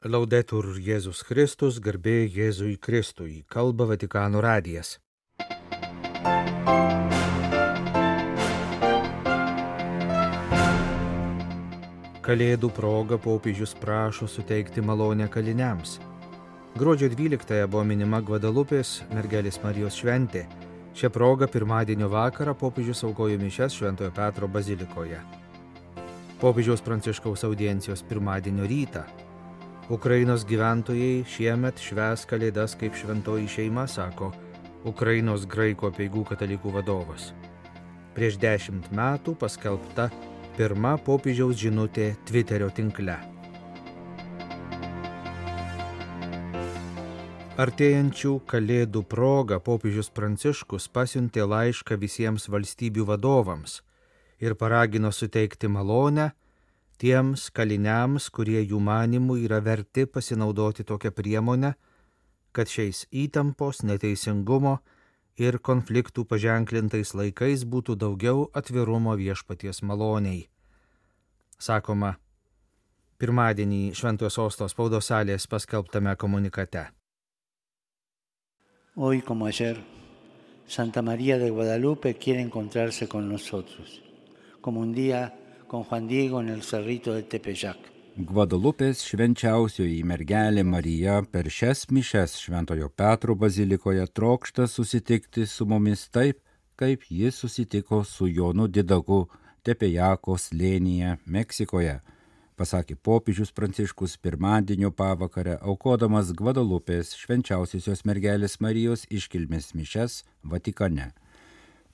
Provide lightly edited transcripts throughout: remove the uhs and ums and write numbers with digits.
Laudetur Jėzus Kristus, garbė Jėzui Kristui, kalba Vatikano radijas. Kalėdų proga popiežius prašo suteikti malonę kaliniams. Gruodžio 12 buvo minima Gvadalupės mergelės Marijos šventė. Šią progą pirmadienio vakarą popiežius aukojo mišias Šventojo Petro bazilikoje. Popiežiaus Pranciškaus audiencijos pirmadienio rytą. Ukrainos gyventojai šiemet švęs Kalėdas kaip šventoji šeima, sako Ukrainos graikų apeigų katalikų vadovas. Prieš 10 metų paskelbta pirma popiežiaus žinutė Twitterio tinkle. Artėjančių Kalėdų proga popiežius Pranciškus pasiuntė laišką visiems valstybių vadovams ir paragino suteikti malonę tiems kaliniams, kurie jų manimų yra verti pasinaudoti tokią priemonę, kad šiais įtampos, neteisingumo ir konfliktų paženklintais laikais būtų daugiau atvirumo viešpaties maloniai. Sakoma, pirmadienį Šventojo Sosto spaudos salės paskelbtame komunikate. Hoy, como ayer, Santa María de Guadalupe quiere encontrarse con nosotros, como un día con Juan Diego en el cerrito de Tepeyac. Gvadalupės švenčiausioji mergelė Marija per šias mišias Šventojo Petro bazilikoje trokšta susitikti su mumis taip, kaip jis susitiko su Jonu Didaku Tepejako slėnyje Meksikoje, pasakė popiežius Pranciškus pirmadienio pavakarę, aukodamas Gvadalupės švenčiausiosios mergelės Marijos iškilmės mišias Vatikane.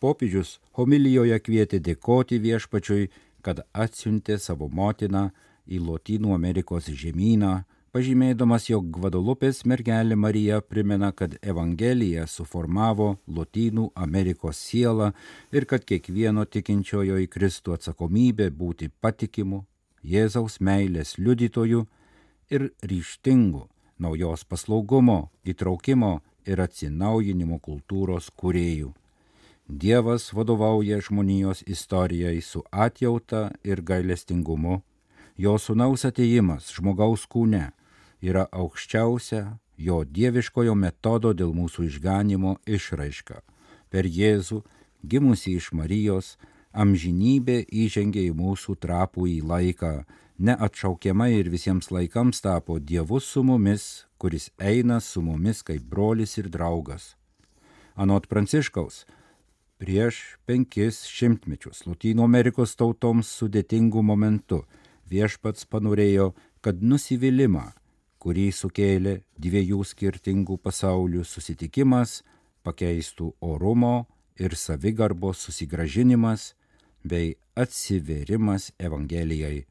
Popiežius homilijoje kvietė dėkoti viešpačiui, kad atsiuntė savo motiną į Lotynų Amerikos žemyną, pažymėdamas, jog Gvadalupės mergelė Marija primena, kad Evangelija suformavo Lotynų Amerikos sielą ir kad kiekvieno tikinčiojo į Kristų atsakomybė būti patikimu, Jėzaus meilės liudytoju ir ryžtingu naujos paslaugumo, įtraukimo ir atsinaujinimo kultūros kūrėjų. Dievas vadovauja žmonijos istorijai su atjauta ir gailestingumu. Jo sūnaus atėjimas žmogaus kūne yra aukščiausia jo dieviškojo metodo dėl mūsų išganimo išraiška. Per Jėzų, gimusį iš Marijos, amžinybė įžengė į mūsų trapų į laiką, neatšaukiamai ir visiems laikams tapo Dievu su mumis, kuris eina su mumis kaip brolis ir draugas. Anot Pranciškaus, prieš 500 metus Lotynų Amerikos tautoms sudėtingų momentų viešpats panorėjo, kad nusivylimą, kurį sukėlė dviejų skirtingų pasaulių susitikimas, pakeistų orumo ir savigarbos susigrąžinimas bei atsivėrimas Evangelijai.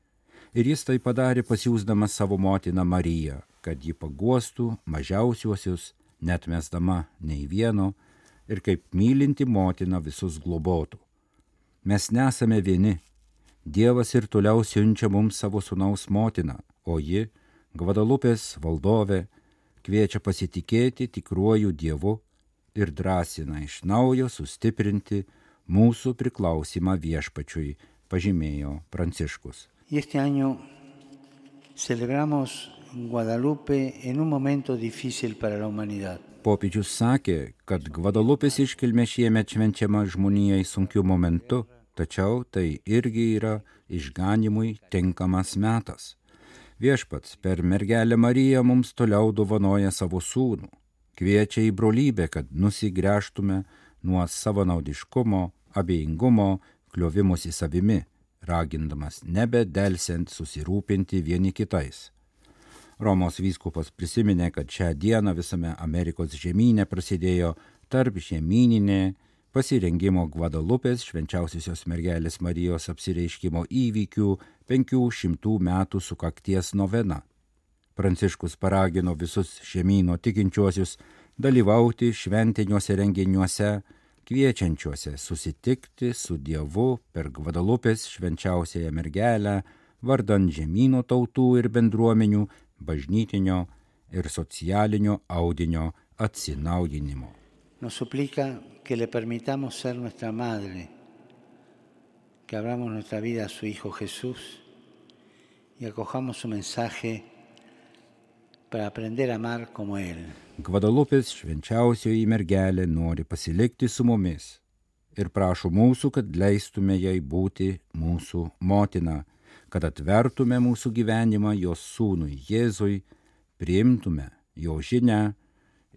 Ir jis tai padarė pasiųsdamas savo motiną Mariją, kad ji paguostų mažiausiuosius, neatmesdama nei vieno, ir kaip mylinti motina visus globotų. Mes nesame vieni. Dievas ir toliau siunčia mums savo sūnaus motiną, o ji, Gvadalupės valdovė, kviečia pasitikėti tikruoju Dievu ir drąsina iš naujo sustiprinti mūsų priklausimą viešpačiui, pažymėjo Pranciškus. Y este año celebramos Guadalupe en un momento difícil para la humanidad. Popiežius sakė, kad Gvadalupės iškilmė šiemet švenčiama žmonijai sunkiu momentu, tačiau tai irgi yra išganimui tinkamas metas. Viešpats per mergelę Mariją mums toliau dovanoja savo sūnų, kviečia į brolybę, kad nusigręžtume nuo savanaudiškumo, abejingumo, kliovimosi savimi, ragindamas nebedelsiant susirūpinti vieni kitais. Romos vyskupas prisiminė, kad šią dieną visame Amerikos žemyne prasidėjo tarp žemyninė pasirengimo Gvadalupės švenčiausiosios mergelės Marijos apsireiškimo įvykių 500 metų sukakties novena. Pranciškus paragino visus žemyno tikinčiuosius dalyvauti šventiniuose renginiuose, kviečiančiuose susitikti su Dievu per Gvadalupės švenčiausiąją mergelę, vardan žemyno tautų ir bendruomenių, bažnytinio ir socialinio audinio atsinaujinimo. Nos suplica que le permitamos ser nuestra madre, que abramos nuestra vida a su Hijo Jesús y acojamos su mensaje para aprender a amar como Él. Gvadalupės švenčiausioji mergelė nori pasilikti su mumis ir prašo mūsų, kad leistume jai būti mūsų motina, kad atvertume mūsų gyvenimą jos sūnui Jėzui, priimtume jo žinią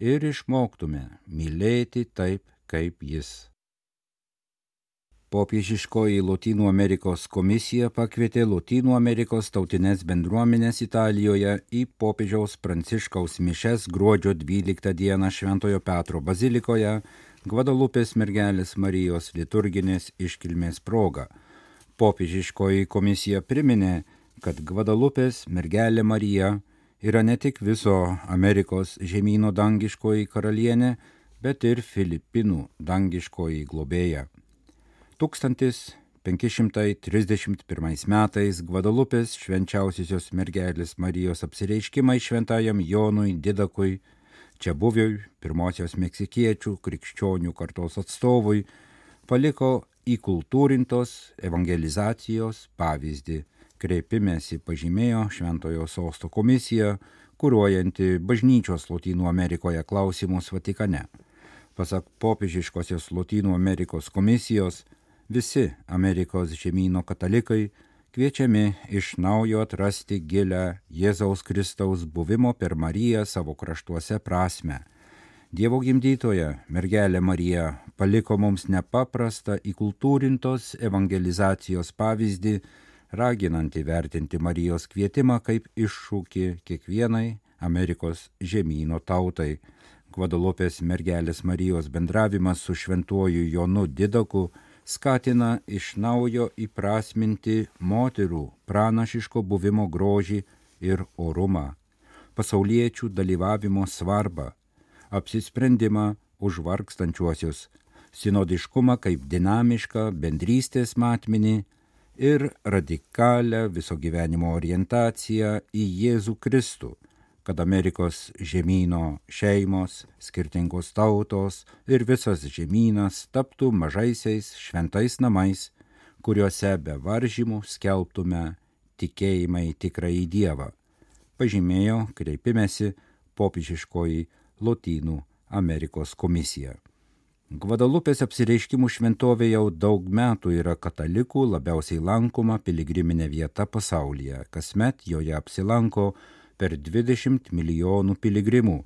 ir išmoktume mylėti taip, kaip jis. Popiežiškoji Lotynų Amerikos komisija pakvietė Lotynų Amerikos tautinės bendruomenės Italijoje į popiežiaus Pranciškaus mišes gruodžio 12 dieną Šventojo Petro bazilikoje Gvadalupės mergelės Marijos liturginės iškilmės proga. Popiežiškoji komisija priminė, kad Gvadalupės mergelė Marija yra ne tik viso Amerikos žemyno dangiškoji karalienė, bet ir Filipinų dangiškoji globėja. 1531 metais Gvadalupės švenčiausiosios mergelės Marijos apsireiškimai šventajam Jonui Didakui, čia buviui pirmosios meksikiečių krikščionių kartos atstovui, paliko įkultūrintos evangelizacijos pavyzdį. Kreipimėsi pažymėjo Šventojo Sosto komisija, kuruojanti bažnyčios Lotynų Amerikoje klausimus Vatikane. Pasak popiežiškosios Lotynų Amerikos komisijos, visi Amerikos žemyno katalikai kviečiami iš naujo atrasti gilę Jėzaus Kristaus buvimo per Mariją savo kraštuose prasmę. Dievo gimdytoja mergelė Marija paliko mums nepaprastą įkultūrintos evangelizacijos pavyzdį, raginant įvertinti Marijos kvietimą kaip iššūkį kiekvienai Amerikos žemyno tautai. Gvadalupės mergelės Marijos bendravimas su šventuoju Jonu Didaku skatina iš naujo įprasminti moterų pranašiško buvimo grožį ir orumą, pasauliečių dalyvavimo svarbą, apsisprendimą už vargstančiuosius, sinodiškumą kaip dinamišką bendrystės matmenį ir radikalią viso gyvenimo orientaciją į Jėzų Kristų, kad Amerikos žemyno šeimos, skirtingos tautos ir visas žemynas taptų mažaisiais šventais namais, kuriuose be varžymų skelbtume tikėjimą į tikrąjį Dievą, pažymėjo kreipimėsi popiežiškoji Lotynų Amerikos komisija. Gvadalupės apsireiškimų šventovė jau daug metų yra katalikų labiausiai lankoma piligriminė vieta pasaulyje. Kasmet joje apsilanko per 20 milijonų piligrimų,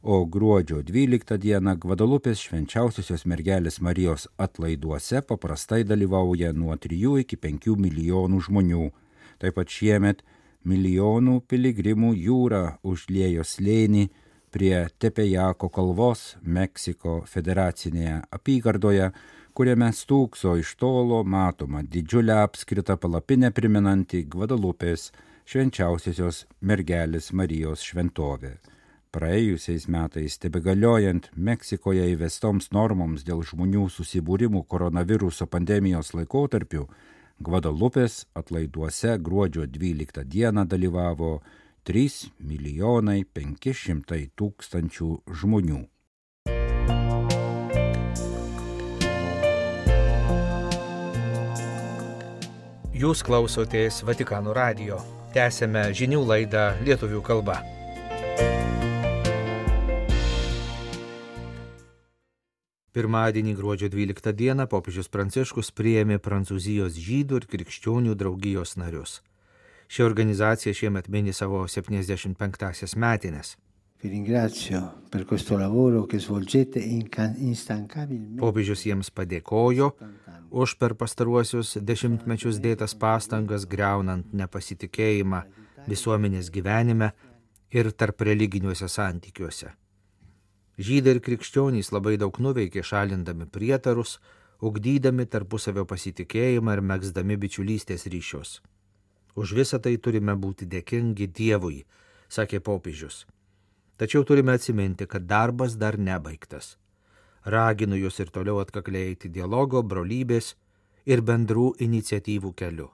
o gruodžio 12 dieną Gvadalupės švenčiausiosios mergelės Marijos atlaiduose paprastai dalyvauja nuo 3 iki 5 milijonų žmonių. Taip pat šiemet milijonų piligrimų jūra užliejo slėnį prie Tepejako kalvos Meksiko federacinėje apygardoje, kuriame stūkso iš tolo matoma didžiulę apskritą palapinę primenanti Gvadalupės švenčiausiosios mergelės Marijos šventovė. Praėjusiais metais tebegaliojant Meksikoje įvestoms normoms dėl žmonių susibūrimų koronaviruso pandemijos laikotarpiu, Gvadalupės atlaiduose gruodžio 12 dieną dalyvavo 3 500 000 žmonių. Jūs klausotės Vatikano radijo. Tęsėme žinių laidą lietuvių kalba. Pirmadienį gruodžio 12 dieną popiežius Pranciškus priėmė Prancūzijos žydų ir krikščionių draugijos narius. Ši organizacija šiemet mini savo 75-asias metines. Popiežius jiems padėkojo už per pastaruosius dešimtmečius dėtas pastangas griaunant nepasitikėjimą visuomenės gyvenime ir tarp religiniuose santykiuose. Žydai ir krikščionys labai daug nuveikė šalindami prietarus, ugdydami tarpusavio pasitikėjimą ir megzdami bičiulystės ryšius. Už visą tai turime būti dėkingi Dievui, sakė popiežius. Tačiau turime atsiminti, kad darbas dar nebaigtas. Raginu jūs ir toliau atkakliai eiti dialogo, brolybės ir bendrų iniciatyvų keliu.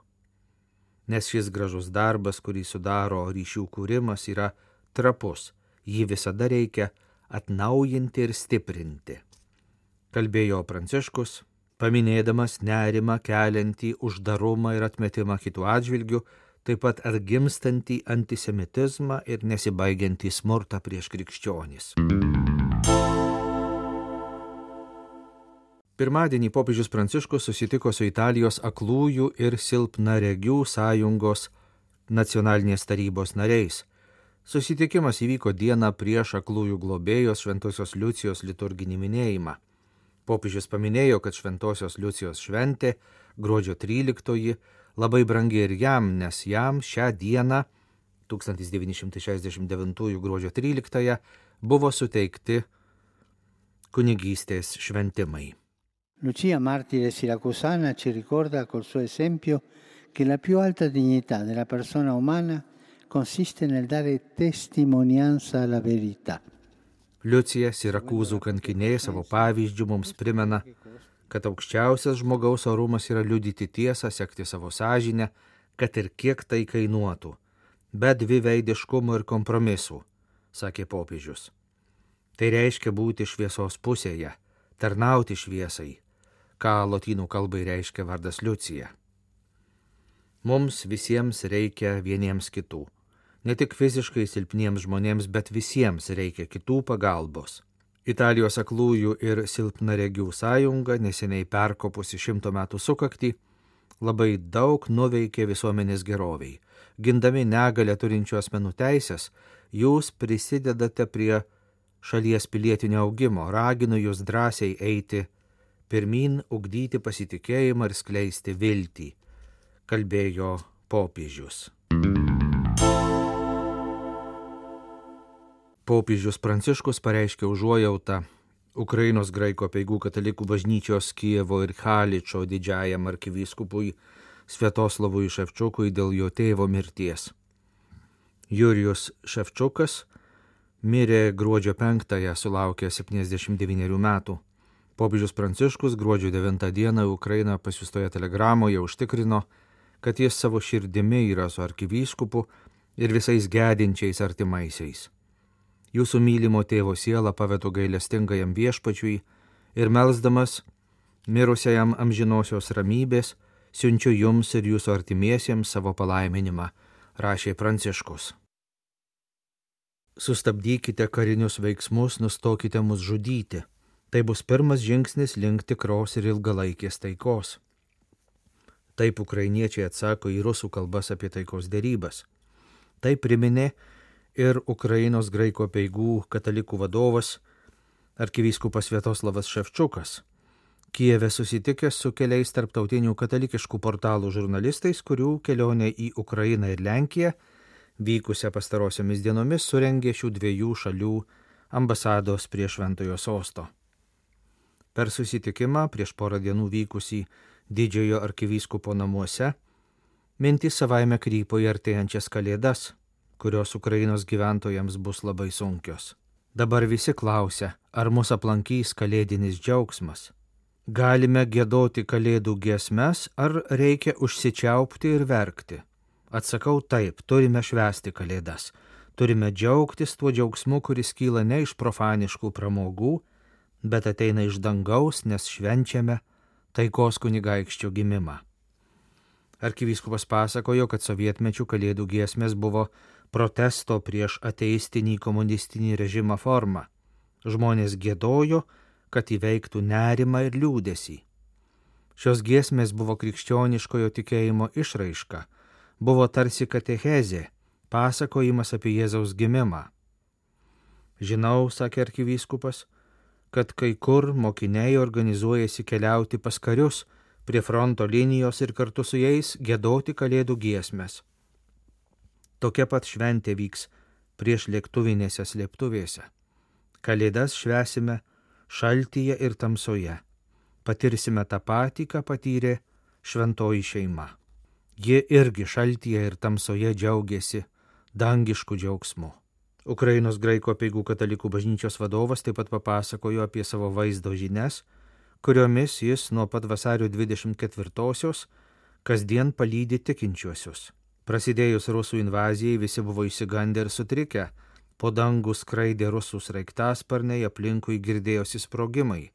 Nes šis gražus darbas, kurį sudaro ryšių kūrimas, yra trapus. Jį visada reikia atnaujinti ir stiprinti. Kalbėjo Pranciškus, paminėdamas nerimą keliantį uždarumą ir atmetimą kitų atžvilgių, taip pat atgimstantį antisemitizmą ir nesibaigiantį smurtą prieš krikščionis. Pirmadienį popiežius Pranciškus susitiko su Italijos aklųjų ir silpnaregių sąjungos nacionalinės tarybos nariais. Susitikimas įvyko dieną prieš aklųjų globėjos Šventosios Liucijos liturginį minėjimą. Popiežius paminėjo, kad Šventosios Liucijos šventė, gruodžio 13, labai brangi ir jam, nes jam šią dieną, 1969 gruodžio 13, buvo suteikti kunigystės šventimai. Lucia, martire siracusana, ci ricorda col suo esempio che la più alta dignità della persona umana consiste nel dare testimonianza alla verità. Liucija, Sirakūzų kankinė, savo pavyzdžių mums primena, kad aukščiausias žmogaus orumas yra liudyti tiesą, sekti savo sąžinę, kad ir kiek tai kainuotų, be dviveidiškumų ir kompromisų, sakė popiežius. Tai reiškia būti šviesos pusėje, tarnauti šviesai, ką lotynų kalbai reiškia vardas Liucija. Mums visiems reikia vieniems kitų. Ne tik fiziškai silpniems žmonėms, bet visiems reikia kitų pagalbos. Italijos aklųjų ir silpnaregių sąjunga, neseniai perkopusi 100 metų sukaktį, labai daug nuveikė visuomenės geroviai. Gindami negalę turinčių asmenų teisės, jūs prisidedate prie šalies pilietinio augimo, raginu jūs drąsiai eiti pirmyn, ugdyti pasitikėjimą ir skleisti viltį, kalbėjo popiežius. Popiežius Pranciškus pareiškė užuojautą Ukrainos graikų apeigų katalikų bažnyčios Kijevo ir Haličo didžiajam arkivyskupui Sviatoslavui Ševčiukui dėl jo tėvo mirties. Jurijus Ševčiukas mirė gruodžio 5, sulaukė 79 metų. Popiežius Pranciškus gruodžio 9 dieną Ukrainą pasiųstoje telegramoje užtikrino, kad jis savo širdimi yra su arkivyskupu ir visais gedinčiais artimaisiais. Jūsų mylimo tėvo sielą pavedu gailestingajam viešpačiui ir melsdamas mirusiajam amžinosios ramybės, siunčiu jums ir jūsų artimiesiems savo palaiminimą, rašė Pranciškus. Sustabdykite karinius veiksmus, nustokite mus žudyti. Tai bus pirmas žingsnis link tikros ir ilgalaikės taikos. Taip ukrainiečiai atsako į rusų kalbas apie taikos derybas. Tai priminė ir Ukrainos graikų apeigų katalikų vadovas arkivyskupas Sviatoslavas Ševčiukas, Kijeve susitikęs su keliais tarptautinių katalikiškų portalų žurnalistais, kurių kelionė į Ukrainą ir Lenkiją, vykusią pastarosiomis dienomis, surengė šių dviejų šalių ambasados prie Šventojo sosto. Per susitikimą prieš porą dienų vykusį didžiojo arkivyskupo namuose, mintys savaime krypo į artėjančias kalėdas, kurios Ukrainos gyventojams bus labai sunkios. Dabar visi klausia, ar mus aplankys kalėdinis džiaugsmas. Galime giedoti kalėdų giesmes, ar reikia užsičiaupti ir verkti? Atsakau taip, turime švęsti kalėdas. Turime džiaugtis tuo džiaugsmu, kuris kyla ne iš profaniškų pramogų, bet ateina iš dangaus, nes švenčiame taikos kunigaikščio gimimą. Arkivyskupas pasakojo, kad sovietmečių kalėdų giesmės buvo protesto prieš ateistinį komunistinį režimą forma. Žmonės giedojo, kad įveiktų nerimą ir liūdesį. Šios giesmės buvo krikščioniškojo tikėjimo išraiška, buvo tarsi katechezė, pasakojimas apie Jėzaus gimimą. Žinau, sakė arkivyskupas, kad kai kur mokiniai organizuojasi keliauti pas karius prie fronto linijos ir kartu su jais giedoti kalėdų giesmes. Tokia pat šventė vyks prieš lėktuvinėse slėptuvėse. Kalėdas švęsime šaltyje ir tamsoje. Patirsime tą patį, ką patyrė šventoji šeima. Ji irgi šaltyje ir tamsoje džiaugiasi dangišku džiaugsmu. Ukrainos graikų apeigų katalikų bažnyčios vadovas taip pat papasakojo apie savo vaizdo žinias, kuriomis jis nuo pat vasario 24-osios kasdien palydi tikinčiuosius. Prasidėjus rusų invazijai visi buvo išsigandę ir sutrikę, po dangų skraidė rusų sraigtasparniai, aplinkui girdėjosi sprogimai.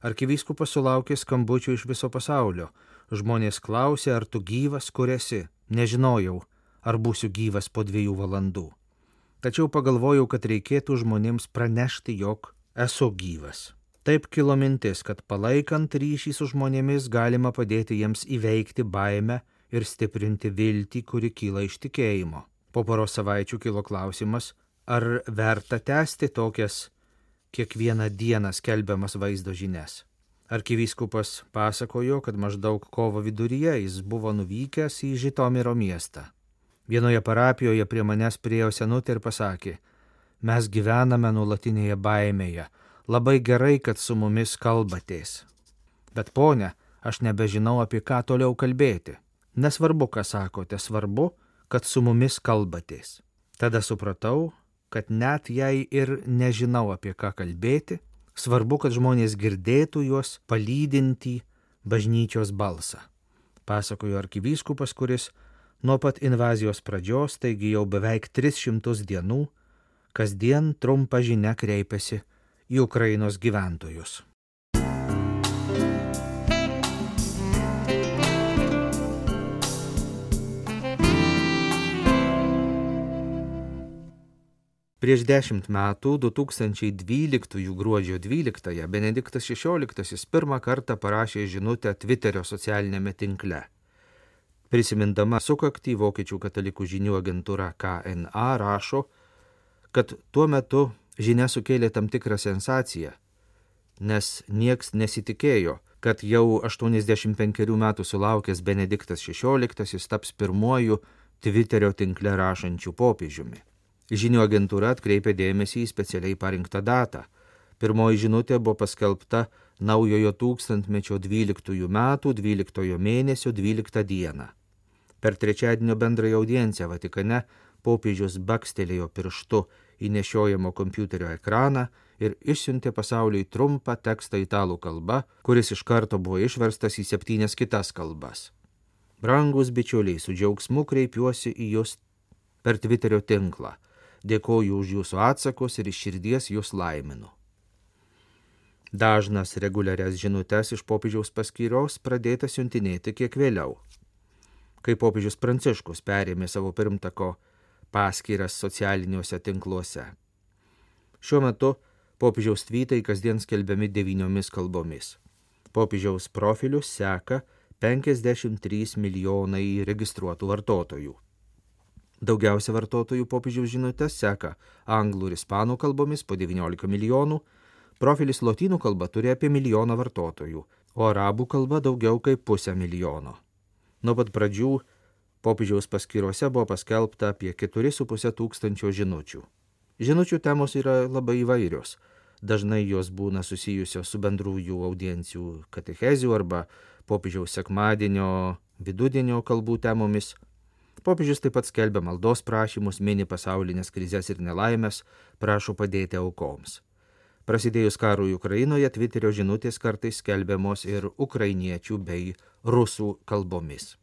Arkivyskupas sulaukė skambučių iš viso pasaulio. Žmonės klausė, ar tu gyvas, kur esi? Nežinojau, ar būsiu gyvas po 2 valandų. Tačiau pagalvojau, kad reikėtų žmonėms pranešti, jog esu gyvas. Taip kilo mintis, kad palaikant ryšį su žmonėmis galima padėti jiems įveikti baimę ir stiprinti viltį, kuri kyla iš tikėjimo. Po poros savaičių kilo klausimas, ar verta tęsti tokias kiekvieną dieną skelbiamas vaizdo žinias. Arkivyskupas pasakojo, kad maždaug kovo viduryje jis buvo nuvykęs į Žitomiro miestą. Vienoje parapijoje prie manęs priėjo senutė ir pasakė, mes gyvename nuolatinėje baimėje, labai gerai, kad su mumis kalbatės. Bet ponia, aš nebežinau, apie ką toliau kalbėti. Nesvarbu, ką sakote, svarbu, kad su mumis kalbatės. Tada supratau, kad net jei ir nežinau, apie ką kalbėti, svarbu, kad žmonės girdėtų juos palydintį bažnyčios balsą. Pasakojo arkivyskupas, kuris nuo pat invazijos pradžios, taigi jau beveik 300 dienų, kasdien trumpa žinia kreipiasi į Ukrainos gyventojus. Prieš 10 metų, 2012 gruodžio 12, Benediktas XVI pirmą kartą parašė žinutę Twitterio socialinėme tinkle. Prisimindama sukaktį, Vokiečių katalikų žinių agentūra KNA rašo, kad tuo metu žinia sukėlė tam tikrą sensaciją, nes nieks nesitikėjo, kad jau 85 metų sulaukęs Benediktas XVI taps pirmuoju Twitterio tinkle rašančiu popiežiumi. Žinių agentūra atkreipė dėmesį į specialiai parinktą datą. Pirmoji žinutė buvo paskelbta naujojo tūkstantmečio 12 metų 12 mėnesio 12 dieną. Per trečiadienio bendrąją audienciją Vatikane popiežius bakstelėjo pirštu į nešiojamo kompiuterio ekraną ir išsiuntė pasauliui trumpą tekstą italų kalba, kuris iš karto buvo išverstas į 7 kitas kalbas. Brangūs bičiuliai, su džiaugsmu kreipiuosi į jūs per Twitterio tinklą. Dėkoju už jūsų atsakus ir iš širdies jūs laiminu. Dažnas reguliarias žinutes iš popiežiaus paskyros pradėta siuntinėti kiek vėliau, kai popiežius Pranciškus perėmė savo pirmtako paskyras socialiniuose tinkluose. Šiuo metu popiežiaus tvytai kasdien skelbiami 9 kalbomis. Popiežiaus profilius seka 53 milijonai registruotų vartotojų. Daugiausia vartotojų popiežiaus žinutes seka anglų ir ispanų kalbomis po 19 milijonų, profilis lotynų kalba turi apie 1 milijoną vartotojų, o arabų kalba daugiau kaip 500 000. Nuo pat pradžių popiežiaus paskyrose buvo paskelbta apie 4,5 tūkstančio žinučių. Žinučių temos yra labai įvairios. Dažnai jos būna susijusios su bendrųjų audiencijų katechezių arba popiežiaus sekmadienio, vidudienio kalbų temomis. Popiežius taip pat skelbia maldos prašymus, mini pasaulinės krizes ir nelaimės, prašo padėti aukoms. Prasidėjus karui Ukrainoje, Twitterio žinutės kartais skelbiamos ir ukrainiečių bei rusų kalbomis.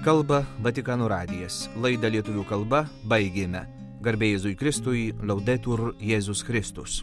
Kalba Vatikano radijas. Laidą lietuvių kalba baigėme. Garbė Jėzui Kristui, Laudetur Jėzus Kristus.